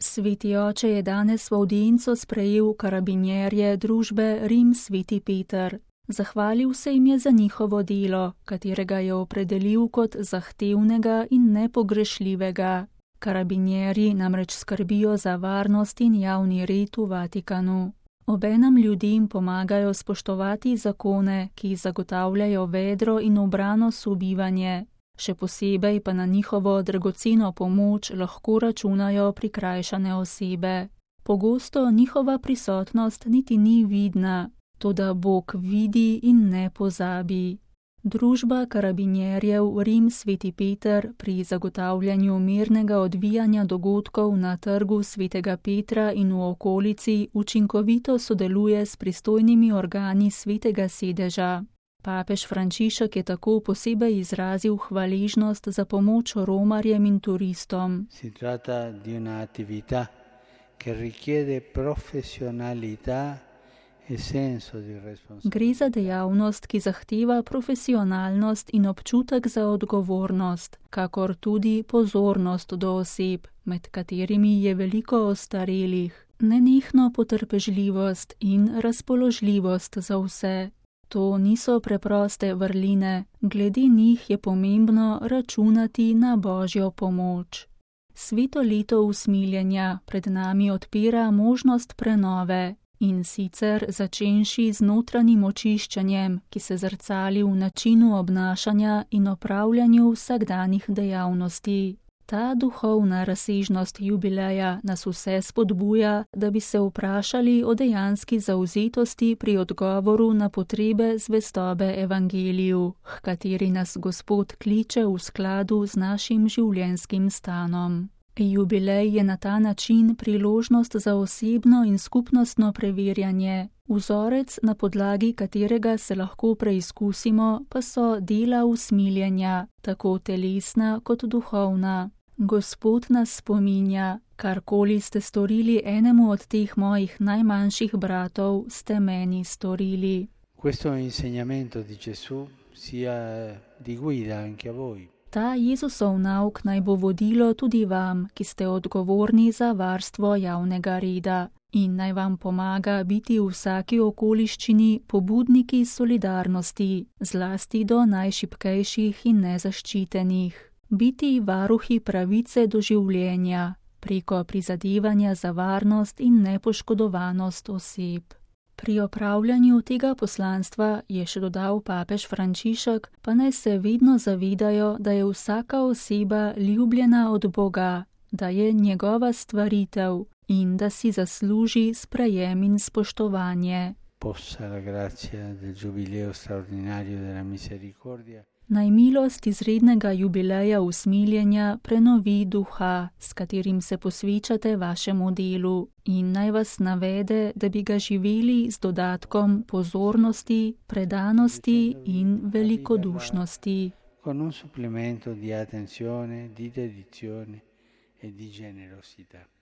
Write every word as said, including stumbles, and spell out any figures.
Sveti oče je danes v avdienco sprejel karabinjerje družbe Rim Sveti Peter. Zahvalil se jim je za njihovo delo, katerega je opredelil kot zahtevnega in nepogrešljivega. Karabinjerji namreč skrbijo za varnost in javni red v Vatikanu. Obenem ljudem pomagajo spoštovati zakone, ki zagotavljajo vedro in ubrano sobivanje. Še posebej pa na njihovo dragoceno pomoč lahko računajo prikrajšane osebe. Pogosto njihova prisotnost niti ni vidna, toda Bog vidi in ne pozabi. Družba karabinjerjev Rim Sveti Peter pri zagotavljanju mirnega odvijanja dogodkov na trgu Svetega Petra in v okolici učinkovito sodeluje s pristojnimi organi Svetega sedeža. Papež Frančišek je tako posebej izrazil hvaležnost za pomoč romarjem in turistom. Si tratta di una attività che richiede professionalità e senso di responsabilità. Gre za dejavnost, ki zahteva profesionalnost in občutek za odgovornost, kakor tudi pozornost do oseb, med katerimi je veliko ostarelih, nenehno potrpežljivost in razpoložljivost za vse. To niso preproste vrline, glede njih je pomembno računati na Božjo pomoč. Sveto leto usmiljenja pred nami odpira možnost prenove, in sicer začenši z notranjim očiščenjem, ki se zrcali v načinu obnašanja in opravljanju vsakdanjih dejavnosti. Ta duhovna razsežnost jubileja nas vse spodbuja, da bi se vprašali o dejanski zavzetosti pri odgovoru na potrebe zvestobe evangeliju, h kateri nas Gospod kliče v skladu z našim življenjskim stanom. Jubilej je na ta način priložnost za osebno in skupnostno preverjanje. Vzorec, na podlagi katerega se lahko preizkusimo, pa so dela usmiljenja, tako telesna kot duhovna. Gospod nas spominja, karkoli ste storili enemu od teh mojih najmanjših bratov, ste meni storili. Questo insegnamento di Gesù sia di guida anche a voi. Ta Jezusov nauk naj bo vodilo tudi vam, ki ste odgovorni za varstvo javnega reda, in naj vam pomaga biti v vsaki okoliščini pobudniki solidarnosti, zlasti do najšibkejših in nezaščitenih. Biti varuhi pravice do življenja, preko prizadevanja za varnost in nepoškodovanost oseb. Pri opravljanju tega poslanstva, je še dodal papež Frančišek, pa naj se vedno zavedajo, da je vsaka oseba ljubljena od Boga, da je njegova stvaritev in da si zasluži sprejem in spoštovanje. Possa la grazia del giubileo straordinario della misericordia. Naj milost izrednega jubileja usmiljenja prenovi duha, s katerim se posvečate vašemu delu, in naj vas navede, da bi ga živeli z dodatkom pozornosti, predanosti in velikodušnosti. Con un supplemento di attenzione, di dedizione e di generosità.